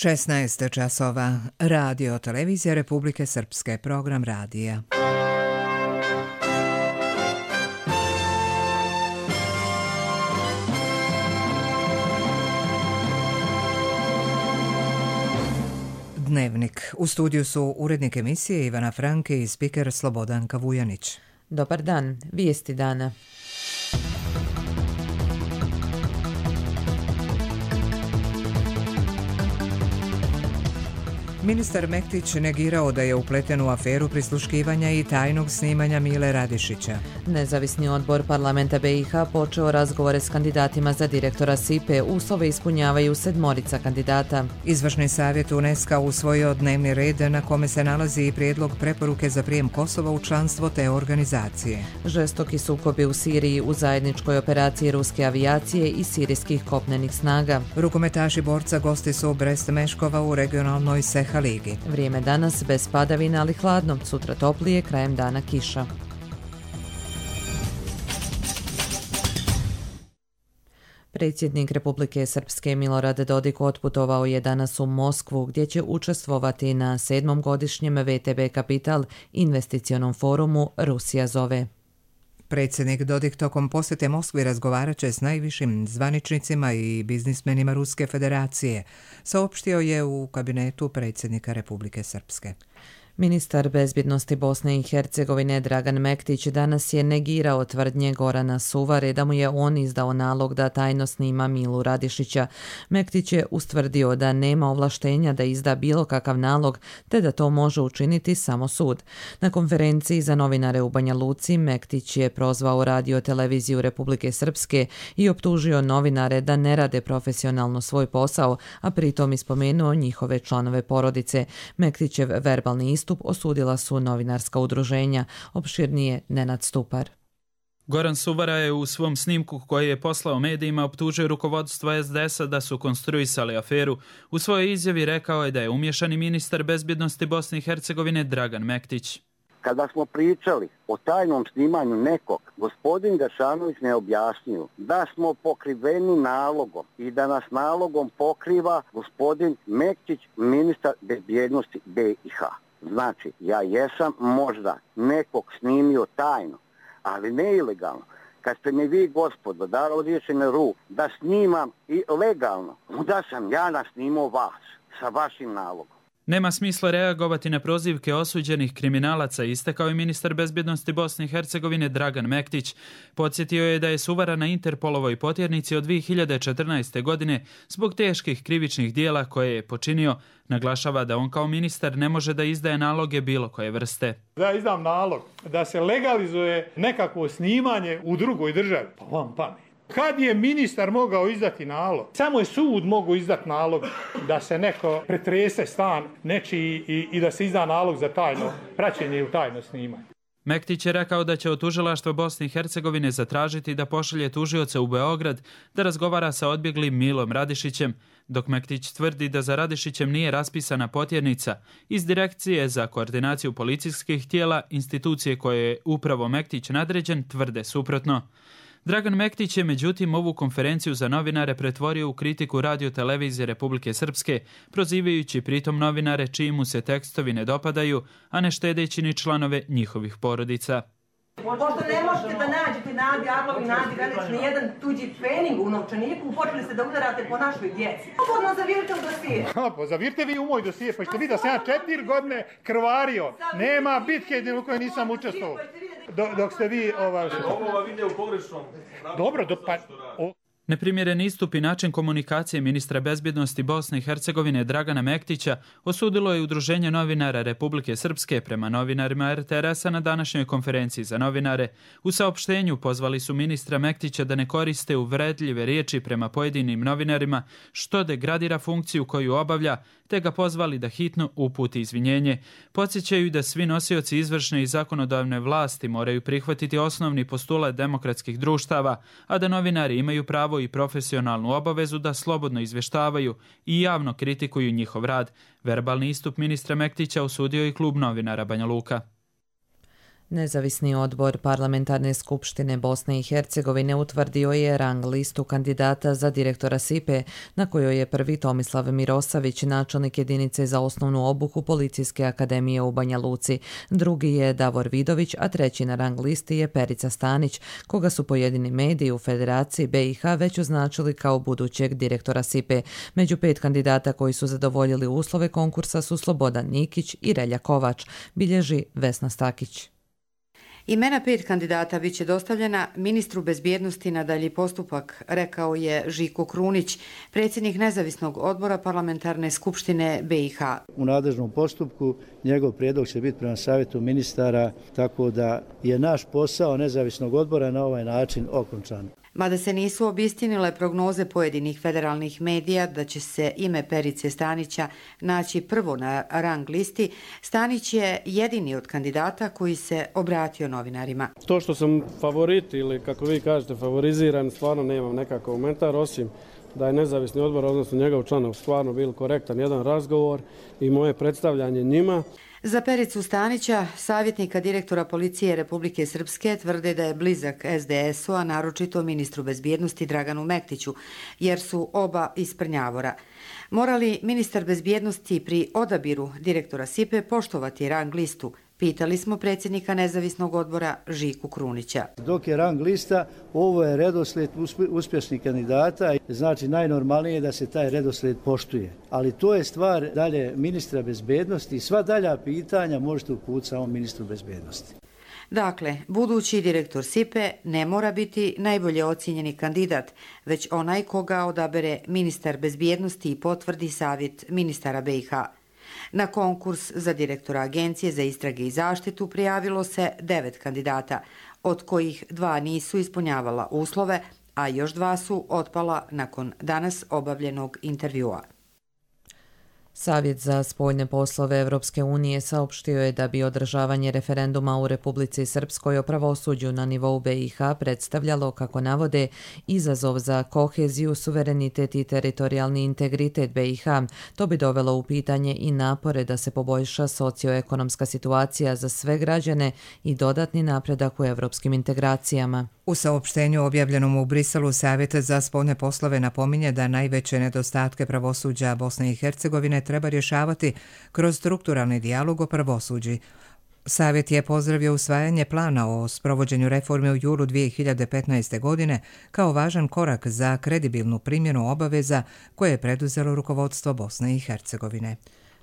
16 časova. Radio Televizija Republike Srpske. Program radija. Dnevnik. U studiju su urednik emisije Ivana Franke i spiker Slobodanka Vujanić. Dobar dan. Vijesti dana. Ministar Mektić negirao da je upleten u aferu prisluškivanja i tajnog snimanja Mile Radišića. Nezavisni odbor parlamenta BiH počeo razgovore s kandidatima za direktora SIPE. Uslove ispunjavaju 7 kandidata. Izvršni savjet UNESCO usvojio dnevni red na kome se nalazi i prijedlog preporuke za prijem Kosova u članstvo te organizacije. Žestoki sukobi u Siriji u zajedničkoj operaciji ruske avijacije i sirijskih kopnenih snaga. Rukometaši borca gosti su Brest Meškova u regionalnoj Seha ligi. Vrijeme danas bez padavina, ali hladno. Sutra toplije, krajem dana kiša. Predsjednik Republike Srpske Milorad Dodik otputovao je danas u Moskvu, gdje će učestvovati na 7. godišnjem VTB Kapital investicionom forumu Rusija zove. Predsjednik Dodik tokom posjete Moskvi razgovarat će s najvišim zvaničnicima i biznismenima Ruske federacije, saopštio je u kabinetu predsjednika Republike Srpske. Ministar bezbjednosti Bosne i Hercegovine Dragan Mektić danas je negirao tvrdnje Gorana Suvare da mu je on izdao nalog da tajno snima Milu Radišića. Mektić je ustvrdio da nema ovlaštenja da izda bilo kakav nalog, te da to može učiniti samo sud. Na konferenciji za novinare u Banja Luci Mektić je prozvao Radio Televiziju Republike Srpske i optužio novinare da ne rade profesionalno svoj posao, a pritom ispomenuo njihove članove porodice. Mektićev verbalni istup osudila su novinarska udruženja. Opširnije Nenad Stupar. Goran Suvara je u svom snimku koji je poslao medijima optužio rukovodstvo SDS-a da su konstruisali aferu. U svojoj izjavi rekao je da je umiješani ministar bezbjednosti Bosne i Hercegovine Dragan Mektić. Kada smo pričali o tajnom snimanju nekog, gospodin Gašanović ne objasnio da smo pokriveni nalogom i da nas nalogom pokriva gospodin Mektić, ministar bezbjednosti BiH. Znači, ja jesam možda nekog snimio tajno, ali ne ilegalno. Kad ste mi vi, gospodo, dali odriješene ruku da snimam i legalno, onda sam ja nasnimao vas sa vašim nalogom. Nema smisla reagovati na prozivke osuđenih kriminalaca, istakao je ministar bezbjednosti Bosne i Hercegovine Dragan Mektić. Podsjetio je da je Suvara na Interpolovoj potjernici od 2014. godine zbog teških krivičnih dijela koje je počinio. Naglašava da on kao ministar ne može da izdaje naloge bilo koje vrste. Da izdam nalog da se legalizuje nekakvo snimanje u drugoj državi, pa vam pamet. Kad je ministar mogao izdati nalog? Samo je sud mogao izdati nalog da se neko pretrese stan nečiji i da se izda nalog za tajno praćenje ili tajno snimanje. Mektić je rekao da će od tužilaštva Bosne i Hercegovine zatražiti da pošalje tužioce u Beograd da razgovara sa odbjeglim Milom Radišićem, dok Mektić tvrdi da za Radišićem nije raspisana potjernica. Iz Direkcije za koordinaciju policijskih tijela, institucije koje je upravo Mektić nadređen, tvrde suprotno. Dragan Mektić je međutim ovu konferenciju za novinare pretvorio u kritiku Radio Televizije Republike Srpske, prozivajući pritom novinare čiji mu se tekstovi ne dopadaju, a ne štedeći ni članove njihovih porodica. Pošto ne možete da nađete Nadi Arlovi, Nadi Velić, nijedan tuđi trening u novčaniku, počeli ste da udarate po našoj djeci. Slobodno zavirite u dosije. Pa zavirite vi u moj dosije, pa ćete vidjeti da sam ja 4 godine krvario. Nema bitke u kojoj nisam učestvovao. Dok ste vi... Ovo vide u pogrešnom. Dobro, Neprimjeren istup i način komunikacije ministra bezbjednosti Bosne i Hercegovine Dragana Mektića osudilo je Udruženje novinara Republike Srpske prema novinarima RTS-a na današnjoj konferenciji za novinare. U saopštenju pozvali su ministra Mektića da ne koriste uvredljive riječi prema pojedinim novinarima, što degradira funkciju koju obavlja, te ga pozvali da hitno uputi izvinjenje. Podsjećaju da svi nosioci izvršne i zakonodavne vlasti moraju prihvatiti osnovni postulat demokratskih društava, a da novinari imaju pravo i profesionalnu obavezu da slobodno izvještavaju i javno kritikuju njihov rad. Verbalni istup ministra Mektića osudio i klub novinara Banja Luka. Nezavisni odbor Parlamentarne skupštine Bosne i Hercegovine utvrdio je rang listu kandidata za direktora SIPE, na kojoj je prvi Tomislav Mirosavić, načelnik jedinice za osnovnu obuku Policijske akademije u Banja Luci. Drugi je Davor Vidović, a treći na rang listi je Perica Stanić, koga su pojedini mediji u Federaciji BiH već označili kao budućeg direktora SIPE. Među 5 kandidata koji su zadovoljili uslove konkursa su Slobodan Nikić i Relja Kovač, bilježi Vesna Stakić. Imena 5 kandidata bit će dostavljena ministru bezbjednosti na dalji postupak, rekao je Žiko Krunić, predsjednik nezavisnog odbora Parlamentarne skupštine BiH. U nadležnom postupku njegov prijedlog će biti prema savjetu ministara, tako da je naš posao nezavisnog odbora na ovaj način okončan. Mada se nisu obistinile prognoze pojedinih federalnih medija da će se ime Perice Stanića naći prvo na rang listi, Stanić je jedini od kandidata koji se obratio novinarima. To što sam favorit ili kako vi kažete favoriziran, stvarno nemam nekakav komentar, osim da je nezavisni odbor, odnosno njegov članov, stvarno bil korektan jedan razgovor i moje predstavljanje njima. Za Pericu Stanića, savjetnika direktora policije Republike Srpske, tvrde da je blizak SDS-u, a naročito ministru bezbjednosti Draganu Mektiću, jer su oba iz Prnjavora. Mora li ministar bezbjednosti pri odabiru direktora SIPE poštovati rang listu? Pitali smo predsjednika nezavisnog odbora Žiku Krunića. Dok je rang lista, ovo je redoslijed uspješnih kandidata, znači najnormalnije je da se taj redoslijed poštuje. Ali to je stvar dalje ministra bezbjednosti i sva dalja pitanja možete uputiti samo ministru bezbjednosti. Dakle, budući direktor SIPE ne mora biti najbolje ocijenjeni kandidat, već onaj koga odabere ministar bezbjednosti i potvrdi savjet ministara BiH. Na konkurs za direktora Agencije za istrage i zaštitu prijavilo se 9 kandidata, od kojih 2 nisu ispunjavala uslove, a još 2 su otpala nakon danas obavljenog intervjua. Savjet za spoljne poslove Evropske unije saopštio je da bi održavanje referenduma u Republici Srpskoj o pravosuđu na nivou BiH predstavljalo, kako navode, izazov za koheziju, suverenitet i teritorijalni integritet BiH. To bi dovelo u pitanje i napore da se poboljša socioekonomska situacija za sve građane i dodatni napredak u evropskim integracijama. U saopštenju objavljenom u Briselu, Savjet za spoljne poslove napominje da najveće nedostatke pravosuđa Bosne i Hercegovine treba rješavati kroz strukturalni dijalog o pravosuđi. Savjet je pozdravio usvajanje plana o sprovođenju reforme u julu 2015. godine kao važan korak za kredibilnu primjenu obaveza koje je preduzelo rukovodstvo Bosne i Hercegovine.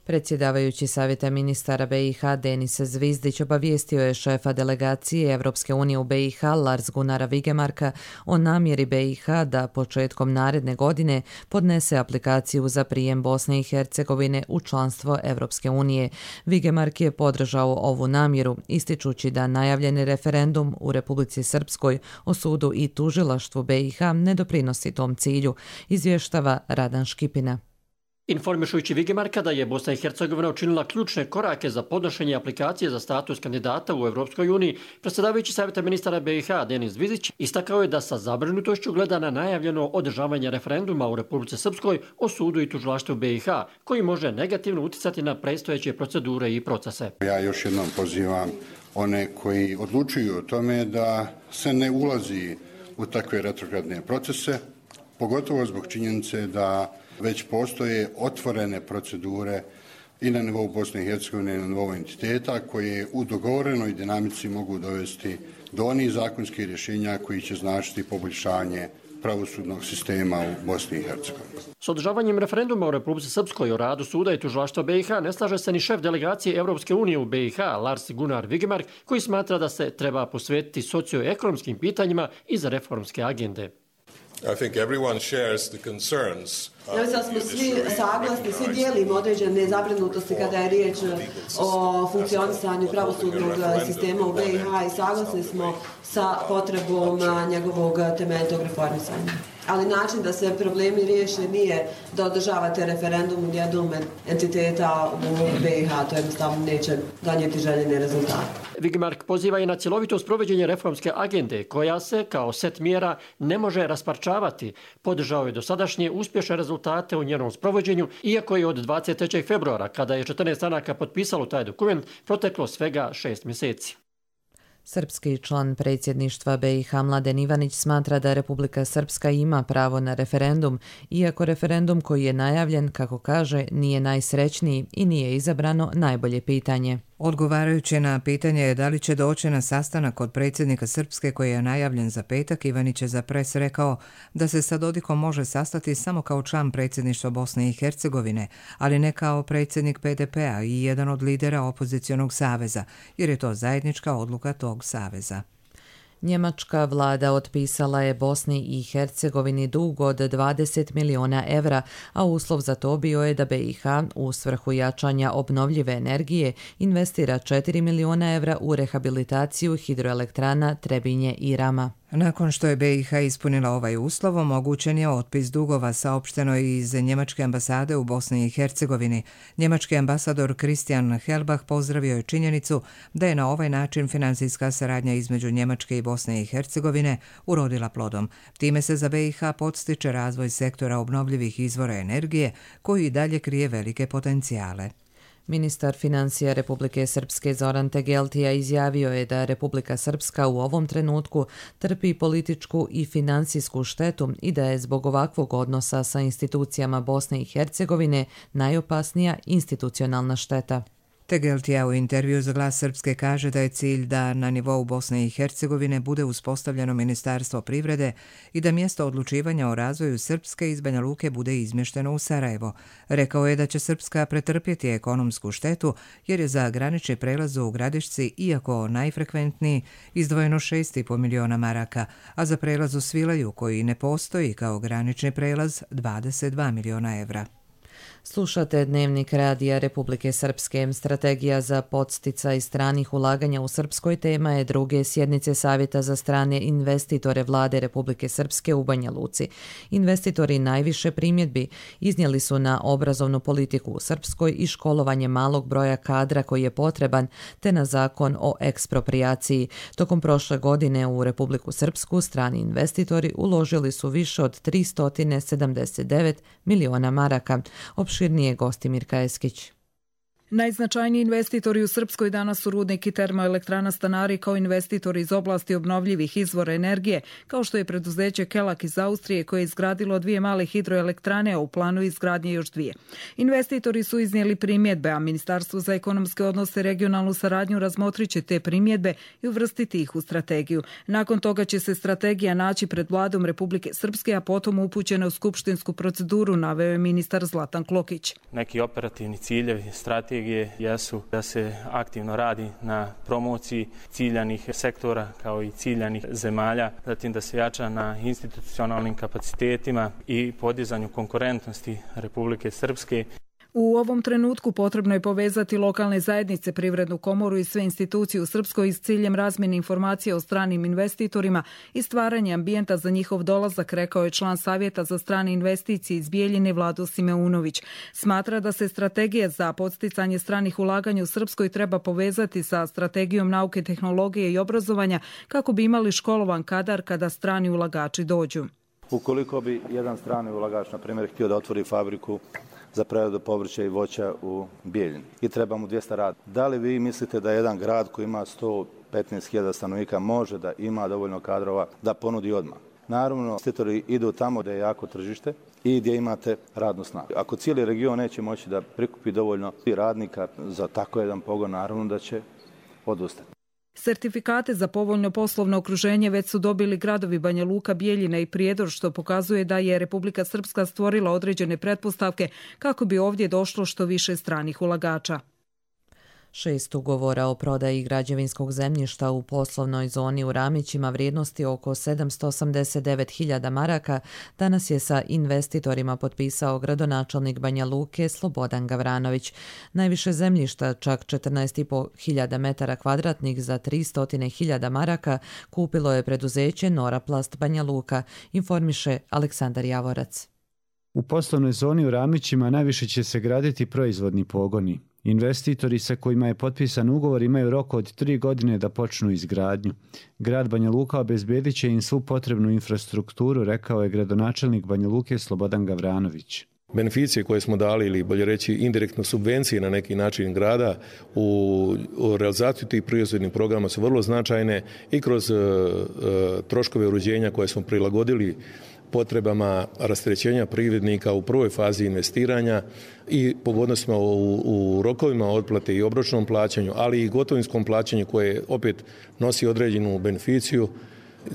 Predsjedavajući Savjeta ministara BiH Denis Zvizdić obavijestio je šefa delegacije Evropske unije u BiH Lars Gunnara Vigemarka o namjeri BiH da početkom naredne godine podnese aplikaciju za prijem Bosne i Hercegovine u članstvo Evropske unije. Vigemark je podržao ovu namjeru, ističući da najavljeni referendum u Republici Srpskoj o sudu i tužilaštvu BiH ne doprinosi tom cilju, izvještava Radan Škipina. Informišujući Vigemarka da je Bosna i Hercegovina učinila ključne korake za podnošenje aplikacije za status kandidata u Evropskoj uniji, predsjedavajući Savjeta ministara BiH Denis Zvizdić istakao je da sa zabrinutošću gleda na najavljeno održavanje referenduma u Republici Srpskoj o sudu i tužilaštvu BiH, koji može negativno uticati na predstojeće procedure i procese. Ja još jednom pozivam one koji odlučuju o tome da se ne ulazi u takve retrogradne procese, pogotovo zbog činjenice da već postoje otvorene procedure i na nivou Bosne i Hercegovine i na nivou entiteta koje u dogovorenoj dinamici mogu dovesti do onih zakonskih rješenja koji će značiti poboljšanje pravosudnog sistema u Bosni i Hercegovini. S održavanjem referenduma u Republici Srpskoj o radu suda i tužilaštva BiH ne slaže se ni šef delegacije Evropske unije u BiH Lars Gunnar Vigemark, koji smatra da se treba posvetiti socioekonomskim pitanjima i za reformske agende. I think everyone shares the concerns. Ja mislim da smo svi saglasni, svi dijelimo određene zabrinutosti kada je riječ o funkcionisanju pravosudnog sistema u BiH i saglasni smo sa potrebom njegovog temeljitog reformisanja. Ali način da se problemi riješe nije da održavate referendum u jednom entiteta u BiH, to jednostavno neće donijeti željene rezultate. Vigemark poziva i na cjelovito sprovođenje reformske agende, koja se, kao set mjera, ne može rasparčavati. Podržao je dosadašnje uspješne rezultate u njenom sprovođenju, iako je od 23. februara, kada je 14 stranaka potpisalo taj dokument, proteklo svega 6 mjeseci. Srpski član predsjedništva BiH Mladen Ivanić smatra da Republika Srpska ima pravo na referendum, iako referendum koji je najavljen, kako kaže, nije najsrećniji i nije izabrano najbolje pitanje. Odgovarajući na pitanje da li će doći na sastanak kod predsjednika Srpske koji je najavljen za petak, Ivanić je za Pres rekao da se sa Dodikom može sastati samo kao član predsjedništva Bosne i Hercegovine, ali ne kao predsjednik PDP-a i jedan od lidera opozicionog saveza, jer je to zajednička odluka tog saveza. Njemačka vlada otpisala je Bosni i Hercegovini dug od 20 miliona evra, a uslov za to bio je da BiH u svrhu jačanja obnovljive energije investira 4 miliona evra u rehabilitaciju hidroelektrana Trebinje i Rama. Nakon što je BiH ispunila ovaj uslov, omogućen je otpis dugova, saopšteno iz Njemačke ambasade u Bosni i Hercegovini. Njemački ambasador Christian Helbach pozdravio je činjenicu da je na ovaj način financijska saradnja između Njemačke i Bosne i Hercegovine urodila plodom. Time se za BiH podstiče razvoj sektora obnovljivih izvora energije koji i dalje krije velike potencijale. Ministar financija Republike Srpske Zoran Tegeltija izjavio je da Republika Srpska u ovom trenutku trpi političku i financijsku štetu i da je zbog ovakvog odnosa sa institucijama Bosne i Hercegovine najopasnija institucionalna šteta. Tegeltija u intervju za Glas Srpske kaže da je cilj da na nivou Bosne i Hercegovine bude uspostavljeno Ministarstvo privrede i da mjesto odlučivanja o razvoju Srpske iz Banja Luke bude izmješteno u Sarajevo. Rekao je da će Srpska pretrpjeti ekonomsku štetu jer je za granični prelaz u Gradišci, iako najfrekventniji, izdvojeno 6,5 miliona maraka, a za prelaz u Svilaju, koji ne postoji kao granični prelaz, 22 miliona evra. Slušate Dnevnik radija Republike Srpske. Strategija za podsticaj stranih ulaganja u Srpskoj tema je druge sjednice Savjeta za strane investitore Vlade Republike Srpske u Banja Luci. Investitori najviše primjedbi iznijeli su na obrazovnu politiku u Srpskoj i školovanje malog broja kadra koji je potreban, te na zakon o eksproprijaciji. Tokom prošle godine u Republiku Srpsku strani investitori uložili su više od 379 miliona maraka. Opširnije gosti Mirka Eskić. Najznačajniji investitori u Srpskoj danas su rudnik i termoelektrana Stanari kao investitori iz oblasti obnovljivih izvora energije, kao što je preduzeće Kelak iz Austrije koje je izgradilo 2 male hidroelektrane, a u planu izgradnje još 2. Investitori su iznijeli primjedbe, a Ministarstvo za ekonomske odnose i regionalnu saradnju razmotriće te primjedbe i uvrstiti ih u strategiju. Nakon toga će se strategija naći pred Vladom Republike Srpske, a potom upućena u skupštinsku proceduru, naveo je ministar Zlatan Klokić. Neki operativni ciljevi, strategije jesu da se aktivno radi na promociji ciljanih sektora kao i ciljanih zemalja, zatim da se jača na institucionalnim kapacitetima i podizanju konkurentnosti Republike Srpske. U ovom trenutku potrebno je povezati lokalne zajednice, Privrednu komoru i sve institucije u Srpskoj s ciljem razmjene informacija o stranim investitorima i stvaranje ambijenta za njihov dolazak, rekao je član Savjeta za strane investicije iz Bijeljine Vlado Simeunović. Smatra da se strategija za podsticanje stranih ulaganja u Srpskoj treba povezati sa strategijom nauke, tehnologije i obrazovanja kako bi imali školovan kadar kada strani ulagači dođu. Ukoliko bi jedan strani ulagač, na primjer, htio da otvori fabriku za preradu povrća i voća u Bijeljini i treba mu 200 radnika. Da li vi mislite da jedan grad koji ima 115.000 stanovnika može da ima dovoljno kadrova da ponudi odmah? Naravno, investitori idu tamo gdje je jako tržište i gdje imate radnu snagu. Ako cijeli region neće moći da prikupi dovoljno radnika za tako jedan pogon, naravno da će odustati. Sertifikate za povoljno poslovno okruženje već su dobili gradovi Banja Luka, Bijeljina i Prijedor, što pokazuje da je Republika Srpska stvorila određene pretpostavke kako bi ovdje došlo što više stranih ulagača. 6 ugovora o prodaji građevinskog zemljišta u poslovnoj zoni u Ramićima vrijednosti oko 789.000 maraka danas je sa investitorima potpisao gradonačelnik Banja Luke Slobodan Gavranović. Najviše zemljišta, čak 14.500 metara kvadratnih za 300.000 maraka, kupilo je preduzeće Noraplast Banja Luka, informiše Aleksandar Javorac. U poslovnoj zoni u Ramićima najviše će se graditi proizvodni pogoni. Investitori sa kojima je potpisan ugovor imaju rok od 3 godine da počnu izgradnju. Grad Banja Luka obezbedit će im svu potrebnu infrastrukturu, rekao je gradonačelnik Banja Luke Slobodan Gavranović. Beneficije koje smo dali ili bolje reći indirektno subvencije na neki način grada u realizaciju tih proizvodnih programa su vrlo značajne i kroz troškove uređenja koje smo prilagodili potrebama rasterećenja privrednika u prvoj fazi investiranja i pogodnostima u rokovima otplate i obročnom plaćanju, ali i gotovinskom plaćanju koje opet nosi određenu beneficiju,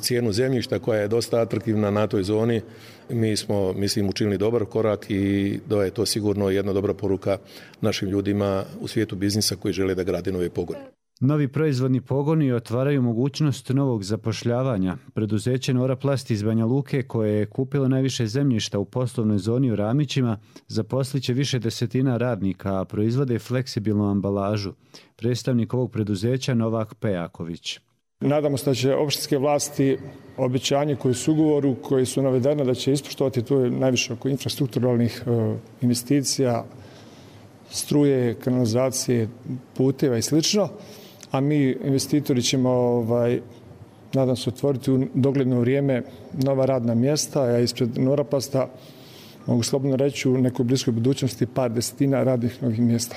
cijenu zemljišta koja je dosta atraktivna na toj zoni. Mi smo, mislim, učinili dobar korak i da je to sigurno jedna dobra poruka našim ljudima u svijetu biznisa koji žele da grade nove pogone. Novi proizvodni pogoni otvaraju mogućnost novog zapošljavanja. Preduzeće Noraplast iz Banja Luke, koje je kupilo najviše zemljišta u poslovnoj zoni u Ramićima, zaposliće više desetina radnika, a proizvode fleksibilnu ambalažu. Predstavnik ovog preduzeća Novak Pejaković. Nadamo se da će opštinske vlasti obećanje koji su ugovoru, koji su navedene da će ispoštovati, to je najviše oko infrastrukturalnih investicija, struje, kanalizacije, puteva i slično, a mi investitori ćemo, nadam se, otvoriti u dogledno vrijeme nova radna mjesta, a ispred Noraplasta mogu slobodno reći u nekoj bliskoj budućnosti par desetina radnih novih mjesta.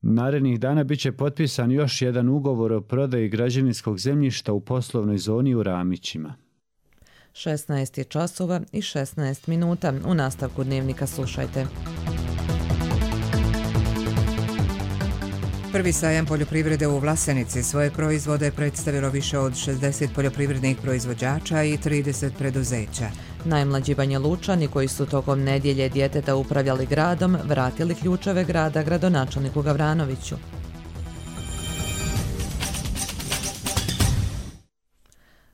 Narednih dana biće potpisan još jedan ugovor o prodaji građevinskog zemljišta u poslovnoj zoni u Ramićima. 16 časova i 16 minuta. U nastavku dnevnika slušajte. Prvi sajam poljoprivrede u Vlasenici svoje proizvode predstavilo više od 60 poljoprivrednih proizvođača i 30 preduzeća. Najmlađi Banjalučani koji su tokom nedjelje djeteta upravljali gradom, vratili ključeve grada gradonačelniku Gavranoviću.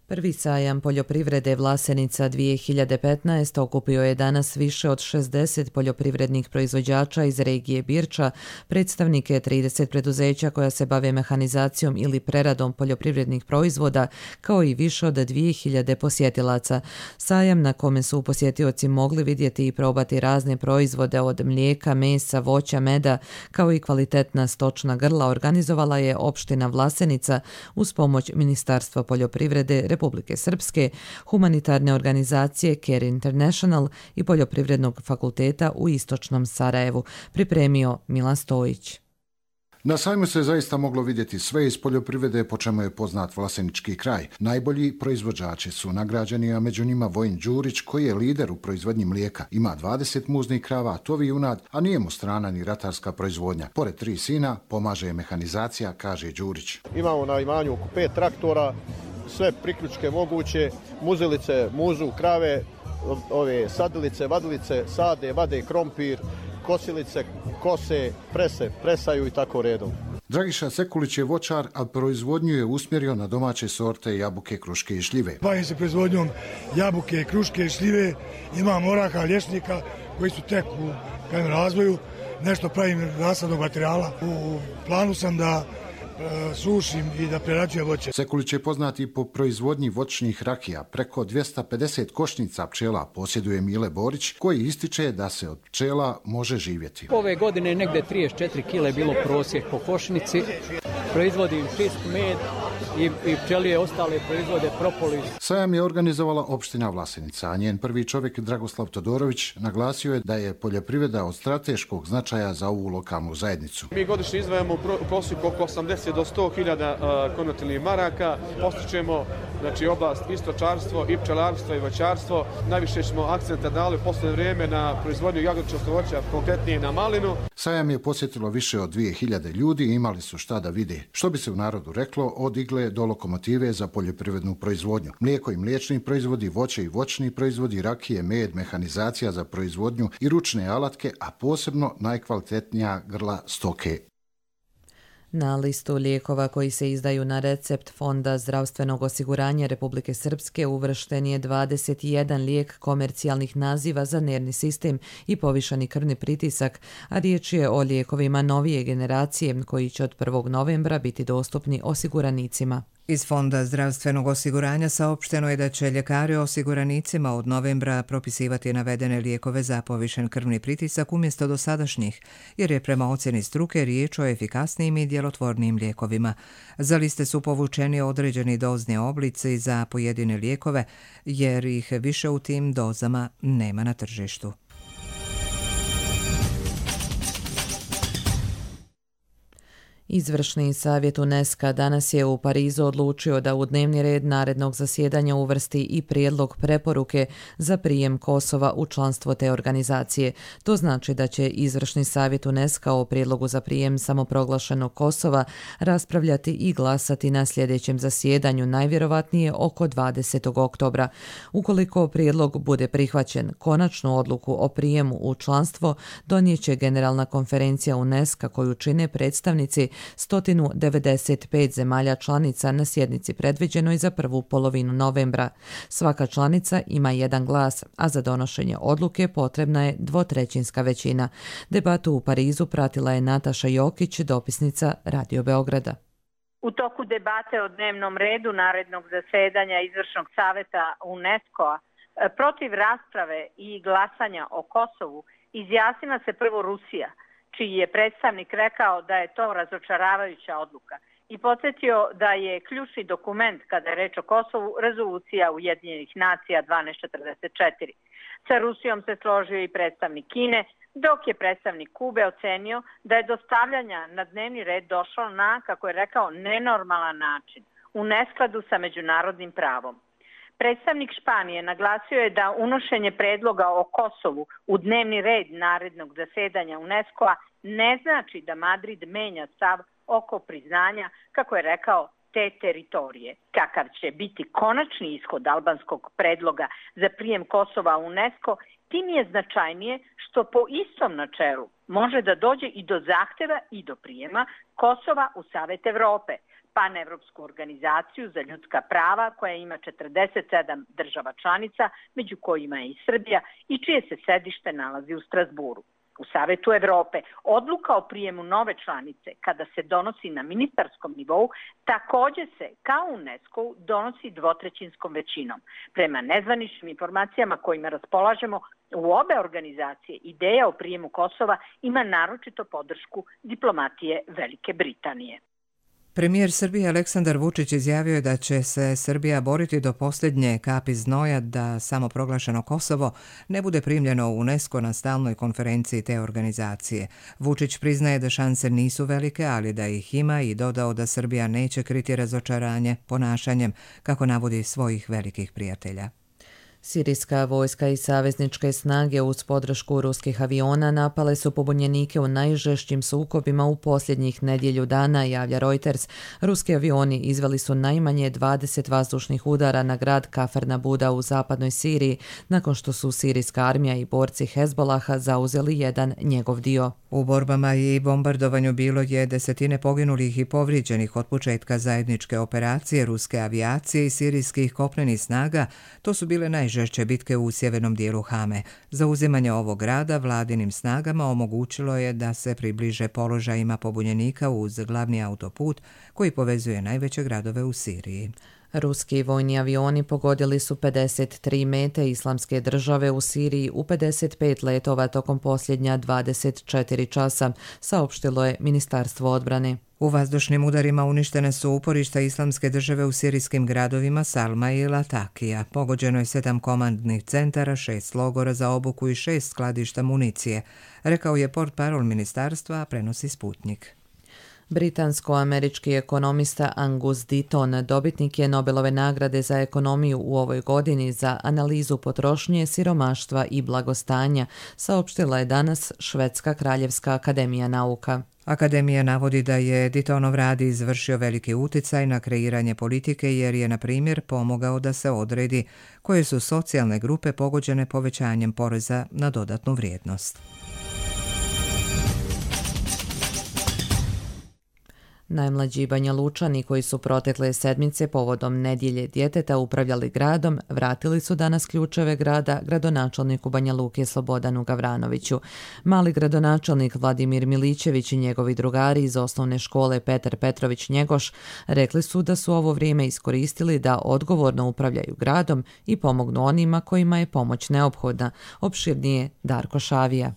Prvi sajam poljoprivrede Vlasenica 2015 okupio je danas više od 60 poljoprivrednih proizvođača iz regije Birča, predstavnike 30 preduzeća koja se bave mehanizacijom ili preradom poljoprivrednih proizvoda, kao i više od 2000 posjetilaca. Sajam na kome su posjetioci mogli vidjeti i probati razne proizvode od mlijeka, mesa, voća, meda, kao i kvalitetna stočna grla organizovala je opština Vlasenica uz pomoć Ministarstva poljoprivrede Republike Srpske, humanitarne organizacije Care International i Poljoprivrednog fakulteta u Istočnom Sarajevu, pripremio Milan Stojić. Na sajmu se zaista moglo vidjeti sve iz poljoprivrede, po čemu je poznat Vlasenički kraj. Najbolji proizvođači su nagrađeni, a među njima Vojin Đurić, koji je lider u proizvodnji mlijeka. Ima 20 muznih krava, tovi junad, a nije mu strana ni ratarska proizvodnja. Pored 3 sina, pomaže je mehanizacija, kaže Đurić. Imamo na imanju oko 5 traktora, sve priključke moguće, muzilice, muzu, krave, ove sadilice, vadilice, sade, vade krompir, kosilice, kose, prese, presaju i tako redom. Dragiša Sekulić je voćar, a proizvodnju je usmjerio na domaće sorte jabuke, kruške i šljive. Bavim se proizvodnjom jabuke, kruške i šljive, imam oraha, lješnika koji su tek u razvoju, nešto pravim nasadnog materijala. U planu sam da sušim i da prerađuje voće. Sekulić je poznat i po proizvodnji voćnih rakija. Preko 250 košnica pčela posjeduje Mile Borić, koji ističe da se od pčela može živjeti. Ove godine negde 34 kile bilo prosjek po košnici. Proizvodim čist med i pčelije ostale proizvode propolis. Sajam je organizovala opština Vlasenica, a njen prvi čovjek Dragoslav Todorović naglasio je da je poljoprivreda od strateškog značaja za ovu lokalnu zajednicu. Mi godišnje izdvajamo u prosjeku oko 80 do 100.000 konvertilnih maraka. Postičemo oblast i stočarstvo, i pčelarstvo, i voćarstvo. Najviše smo akcenta dali u posljednje vrijeme na proizvodnju jagodičnog voća, konkretnije na malinu. Sajam je posjetilo više od 2000 ljudi i imali su šta da vide. Što bi se u narodu reklo, od igle do lokomotive za poljoprivrednu proizvodnju. Mlijeko i mliječni proizvodi, voće i voćni proizvodi, rakije, med, mehanizacija za proizvodnju i ručne alatke, a posebno najkvalitetnija grla stoke. Na listu lijekova koji se izdaju na recept Fonda zdravstvenog osiguranja Republike Srpske uvršten je 21 lijek komercijalnih naziva za nervni sistem i povišani krvni pritisak, a riječ je o lijekovima novije generacije koji će od 1. novembra biti dostupni osiguranicima. Iz Fonda zdravstvenog osiguranja saopšteno je da će ljekari osiguranicima od novembra propisivati navedene lijekove za povišen krvni pritisak umjesto dosadašnjih, jer je prema ocjeni struke riječ o efikasnijim i djelotvornijim lijekovima. Za liste su povučeni određeni dozni oblici za pojedine lijekove, jer ih više u tim dozama nema na tržištu. Izvršni savjet UNESCO danas je u Parizu odlučio da u dnevni red narednog zasjedanja uvrsti i prijedlog preporuke za prijem Kosova u članstvo te organizacije. To znači da će Izvršni savjet UNESCO o prijedlogu za prijem samoproglašenog Kosova raspravljati i glasati na sljedećem zasjedanju, najvjerovatnije oko 20. oktobra. Ukoliko prijedlog bude prihvaćen, konačnu odluku o prijemu u članstvo donijeće Generalna konferencija UNESCO koju čine predstavnici 195 zemalja članica na sjednici predviđenoj za prvu polovinu novembra. Svaka članica ima jedan glas, a za donošenje odluke potrebna je dvotrećinska većina. Debatu u Parizu pratila je Nataša Jokić, dopisnica Radio Beograda. U toku debate o dnevnom redu narednog zasedanja Izvršnog savjeta UNESCO-a protiv rasprave i glasanja o Kosovu izjasnila se prvo Rusija, čiji je predstavnik rekao da je to razočaravajuća odluka i podsjetio da je ključni dokument kada je reč o Kosovu rezolucija Ujedinjenih nacija 1244. Sa Rusijom se složio i predstavnik Kine, dok je predstavnik Kube ocenio da je dostavljanja na dnevni red došlo na, kako je rekao, nenormalan način, u neskladu sa međunarodnim pravom. Predstavnik Španije naglasio je da unošenje predloga o Kosovu u dnevni red narednog zasedanja UNESCO-a ne znači da Madrid menja stav oko priznanja, kako je rekao, te teritorije. Kakav će biti konačni ishod albanskog predloga za prijem Kosova u UNESCO, tim je značajnije što po istom načelu može da dođe i do zahtjeva i do prijema Kosova u Savet Evrope, panevropsku organizaciju za ljudska prava koja ima 47 država članica, među kojima je i Srbija i čije se sedište nalazi u Strasburu. U Savetu Evrope odluka o prijemu nove članice, kada se donosi na ministarskom nivou, također se, kao u UNESCO, donosi dvotrećinskom većinom. Prema nezvaničnim informacijama kojima raspolažemo, u obe organizacije ideja o prijemu Kosova ima naročito podršku diplomatije Velike Britanije. Premijer Srbije Aleksandar Vučić izjavio je da će se Srbija boriti do posljednje kapi znoja da samoproglašeno Kosovo ne bude primljeno u UNESCO na stalnoj konferenciji te organizacije. Vučić priznaje da šanse nisu velike, ali da ih ima i dodao da Srbija neće kriti razočaranje ponašanjem, kako navodi svojih velikih prijatelja. Sirijska vojska i savezničke snage uz podršku ruskih aviona napale su pobunjenike u najžešćim sukobima u posljednjih nedjelju dana, javlja Reuters. Ruski avioni izveli su najmanje 20 vazdušnih udara na grad Kafr Nabuda u zapadnoj Siriji, nakon što su sirijska armija i borci Hezbolaha zauzeli jedan njegov dio. U borbama i bombardovanju bilo je desetine poginulih i povrijeđenih od početka zajedničke operacije ruske avijacije i sirijskih kopnenih snaga. To su bile najžešće bitke u sjevernom dijelu Hame. Zauzimanje ovog grada vladinim snagama omogućilo je da se približe položajima pobunjenika uz glavni autoput koji povezuje najveće gradove u Siriji. Ruski vojni avioni pogodili su 53 mete Islamske države u Siriji u 55 letova tokom posljednja 24 časa, saopštilo je Ministarstvo odbrane. U vazdušnim udarima uništene su uporišta Islamske države u sirijskim gradovima Salma i Latakija. Pogođeno je 7 komandnih centara, 6 logora za obuku i 6 skladišta municije, rekao je portparol ministarstva, prenosi Sputnik. Britansko-američki ekonomista Angus Deaton, dobitnik je Nobelove nagrade za ekonomiju u ovoj godini za analizu potrošnje, siromaštva i blagostanja, saopštila je danas Švedska kraljevska akademija nauka. Akademija navodi da je Deatonov rad izvršio veliki uticaj na kreiranje politike jer je, na primjer, pomogao da se odredi koje su socijalne grupe pogođene povećanjem poreza na dodatnu vrijednost. Najmlađi Banjalučani koji su protekle sedmice povodom nedjelje djeteta upravljali gradom, vratili su danas ključeve grada gradonačelniku Banja Luke Slobodanu Gavranoviću. Mali gradonačelnik Vladimir Milićević i njegovi drugari iz osnovne škole Petar Petrović Njegoš rekli su da su ovo vrijeme iskoristili da odgovorno upravljaju gradom i pomognu onima kojima je pomoć neophodna. Opširnije Darko Šavija.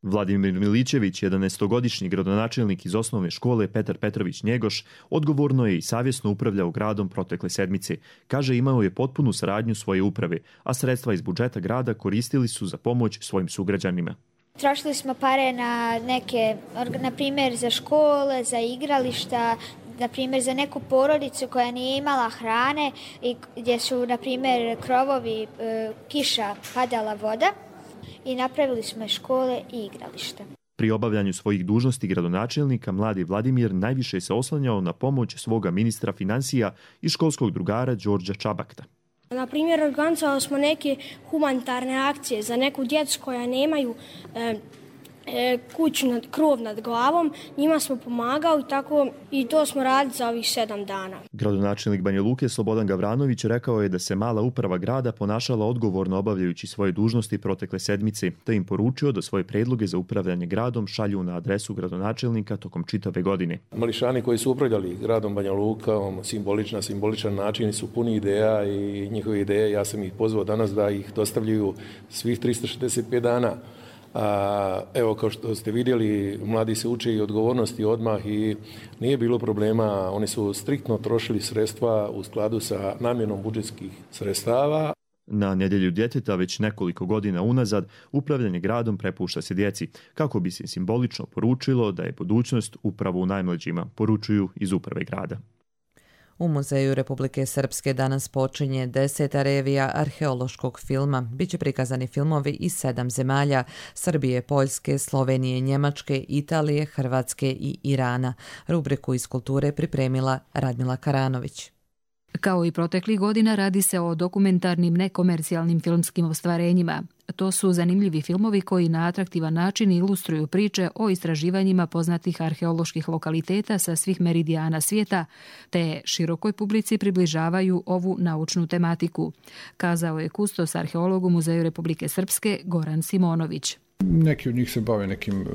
Vladimir Milićević, 11-godišnji gradonačelnik iz osnovne škole Petar Petrović Njegoš, odgovorno je i savjesno upravljao gradom protekle sedmice. Kaže, imao je potpunu saradnju svoje uprave, a sredstva iz budžeta grada koristili su za pomoć svojim sugrađanima. Trošili smo pare na neke, na primjer za škole, za igrališta, na primjer za neku porodicu koja nije imala hrane i gdje su na primjer krovovi, kiša, padala voda i napravili smo škole i igrališta. Pri obavljanju svojih dužnosti gradonačelnika mladi Vladimir najviše se oslanjao na pomoć svoga ministra financija i školskog drugara Đorđa Čabakta. Na primjer, organizovali smo neke humanitarne akcije za neku djecu koja nemaju kuću, krov nad glavom, njima smo pomagali tako i to smo radili za ovih 7 dana. Gradonačelnik Banja Luke Slobodan Gavranović rekao je da se mala uprava grada ponašala odgovorno obavljajući svoje dužnosti protekle sedmice, te im poručio da svoje predloge za upravljanje gradom šalju na adresu gradonačelnika tokom čitave godine. Mališani koji su upravljali gradom Banja Luka, simboličan način su puni ideja i njihove ideje, ja sam ih pozvao danas da ih dostavljaju svih 365 dana. Evo, kao što ste vidjeli, mladi se uče i odgovornosti odmah i nije bilo problema. Oni su striktno trošili sredstva u skladu sa namjenom budžetskih sredstava. Na nedjelju djeteta već nekoliko godina unazad upravljanje gradom prepušta se djeci, kako bi se simbolično poručilo da je budućnost upravo u najmlađima, poručuju iz uprave grada. U Muzeju Republike Srpske danas počinje 10. revija arheološkog filma. Biće prikazani filmovi iz 7 zemalja: Srbije, Poljske, Slovenije, Njemačke, Italije, Hrvatske i Irana. Rubriku iz kulture pripremila Radmila Karanović. Kao i proteklih godina, radi se o dokumentarnim nekomercijalnim filmskim ostvarenjima. To su zanimljivi filmovi koji na atraktivan način ilustruju priče o istraživanjima poznatih arheoloških lokaliteta sa svih meridijana svijeta, te širokoj publici približavaju ovu naučnu tematiku, kazao je kustos arheolog u Muzeju Republike Srpske Goran Simonović. Neki od njih se bave nekim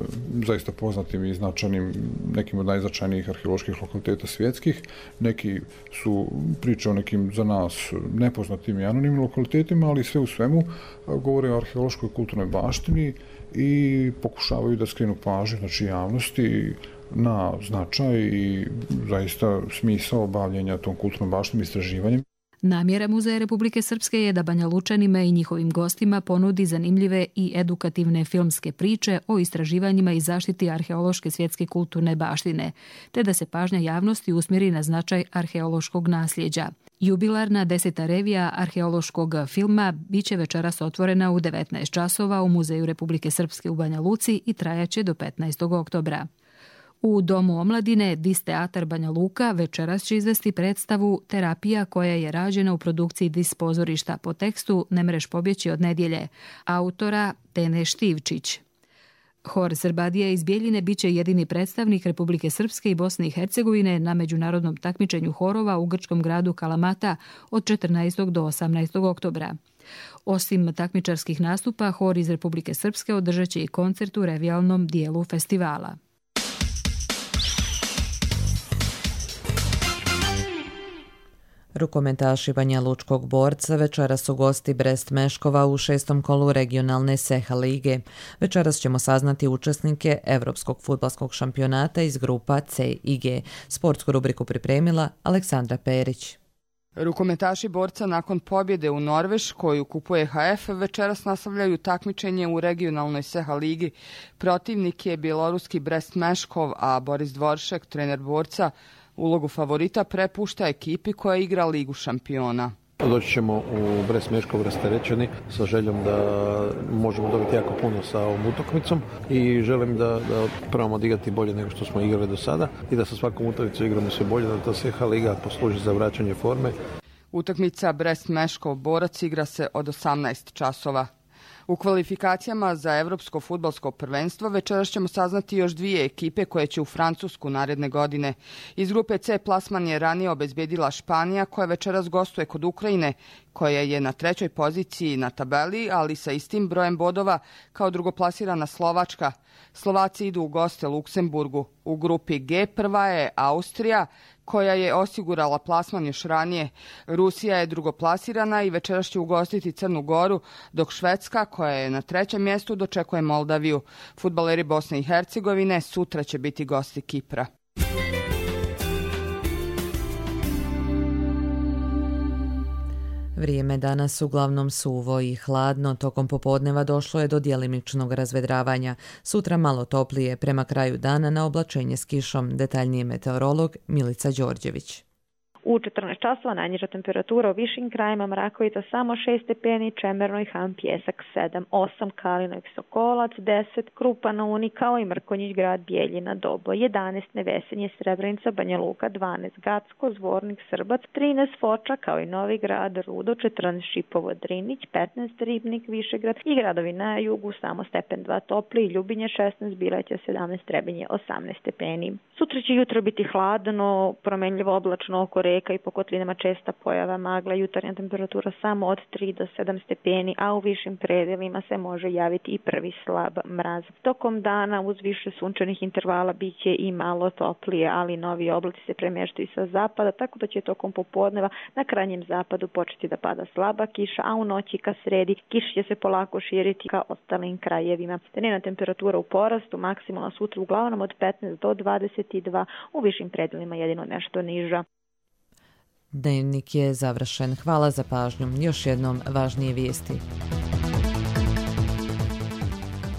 zaista poznatim i značajnim, nekim od najznačajnijih arheoloških lokaliteta svjetskih. Neki su priče o nekim za nas nepoznatim i anonimnim lokalitetima, ali sve u svemu govore o arheološkoj kulturnoj baštini i pokušavaju da skrenu pažnju, znači javnosti, na značaj i zaista smisao bavljenja tom kulturnom baštinom i istraživanjem. Namjera Muzeja Republike Srpske je da Banjalučanima i njihovim gostima ponudi zanimljive i edukativne filmske priče o istraživanjima i zaštiti arheološke svjetske kulturne baštine, te da se pažnja javnosti usmjeri na značaj arheološkog nasljeđa. Jubilarna 10. revija arheološkog filma biće večeras otvorena u 19 časova u Muzeju Republike Srpske u Banja Luci i trajaće do 15. oktobra. U Domu omladine Dis Teatar Banja Luka večeras će izvesti predstavu Terapija koja je rađena u produkciji Dis pozorišta po tekstu Ne mreš pobjeći od nedjelje, autora Tene Štivčić. Hor Srbadija iz Bijeljine biće jedini predstavnik Republike Srpske i Bosne i Hercegovine na međunarodnom takmičenju horova u grčkom gradu Kalamata od 14. do 18. oktobra. Osim takmičarskih nastupa, hor iz Republike Srpske održat će i koncert u revijalnom dijelu festivala. Rukometaši Banja Lučkog Borca večeras su gosti Brest Meškova u 6. kolu regionalne SEHA lige. Večeras ćemo saznati učesnike Evropskog fudbalskog šampionata iz grupa C i G. Sportsku rubriku pripremila Aleksandra Perić. Rukometaši Borca nakon pobjede u Norveškoj u kupu EHF večeras nastavljaju takmičenje u regionalnoj SEHA ligi. Protivnik je bjeloruski Brest Meškov, a Boris Dvoršek, trener Borca, ulogu favorita prepušta ekipi koja igra Ligu šampiona. Doći ćemo u Brest Meškov rasterećeni sa željom da možemo dobiti jako puno sa ovom utakmicom i želim da probamo odigrati bolje nego što smo igrali do sada i da sa svakom utakmicom igramo sve bolje, da ta SEHA liga posluži za vraćanje forme. Utakmica Brest Meškov Borac igra se od 18 časova. U kvalifikacijama za Evropsko fudbalsko prvenstvo večeras ćemo saznati još 2 ekipe koje će u Francusku naredne godine. Iz grupe C plasman je ranije obezbedila Španija, koja večeras gostuje kod Ukrajine, koja je na 3. poziciji na tabeli, ali sa istim brojem bodova kao drugoplasirana Slovačka. Slovaci idu u goste Luksemburgu. U grupi G prva je Austrija, koja je osigurala plasman još ranije. Rusija je drugoplasirana i večeras će ugostiti Crnu Goru, dok Švedska, koja je na 3. mjestu, dočekuje Moldaviju. Fudbaleri Bosne i Hercegovine sutra će biti gosti Kipra. Vrijeme danas uglavnom suvo i hladno, tokom popodneva došlo je do djelimičnog razvedravanja. Sutra malo toplije, prema kraju dana na oblačenje s kišom. Detaljniji meteorolog Milica Đorđević. U 14 časova najniža temperatura u višim krajima Mrakovica samo 6 stepeni, Čemerno i Han Pjesak 7, 8 Kalino i Sokolac, 10 Krupa na Uni kao i Mrkonjić grad Bijeljina Dobo, 11 Nevesenje Srebrenica Banja Luka, 12 Gacko, Zvornik Srbac, 13 Foča kao i Novi grad Rudo, 14 Šipovo Drinić, 15 Ribnik Višegrad i gradovi na jugu samo stepen 2 topli, Ljubinje 16, Bileća 17, Trebinje 18 stepeni. Sutra će jutro biti hladno, promenljivo oblačno oko reka i po kotlinama česta pojava magla, jutarnja temperatura samo od 3 do 7 stepeni, a u višim predelima se može javiti i prvi slab mraz. Tokom dana uz više sunčanih intervala biće i malo toplije, ali novi oblaci se premještaju sa zapada, tako da će tokom popodneva na krajnjem zapadu početi da pada slaba kiša, a u noći ka sredi kiša će se polako širiti ka ostalim krajevima. Dnevna temperatura u porastu, maksimalna sutra uglavnom od 15 do 22, u višim predelima jedino nešto niža. Dnevnik je završen. Hvala za pažnju. Još jednom važnije vijesti.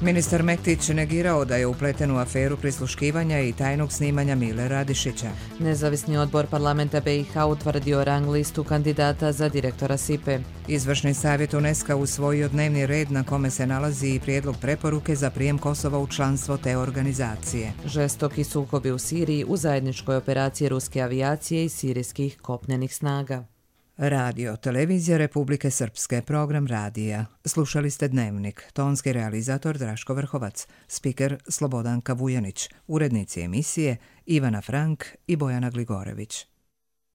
Ministar Mektić negirao da je upleten u aferu prisluškivanja i tajnog snimanja Mile Radišića. Nezavisni odbor parlamenta BiH utvrdio rang listu kandidata za direktora SIPE. Izvršni savjet UNESCO usvojio dnevni red na kome se nalazi i prijedlog preporuke za prijem Kosova u članstvo te organizacije. Žestoki sukobi u Siriji u zajedničkoj operaciji ruske avijacije i sirijskih kopnenih snaga. Radio, televizija Republike Srpske, program radija. Slušali ste Dnevnik, tonski realizator Draško Vrhovac, spiker Slobodanka Vujanić, urednici emisije Ivana Frank i Bojana Gligorević.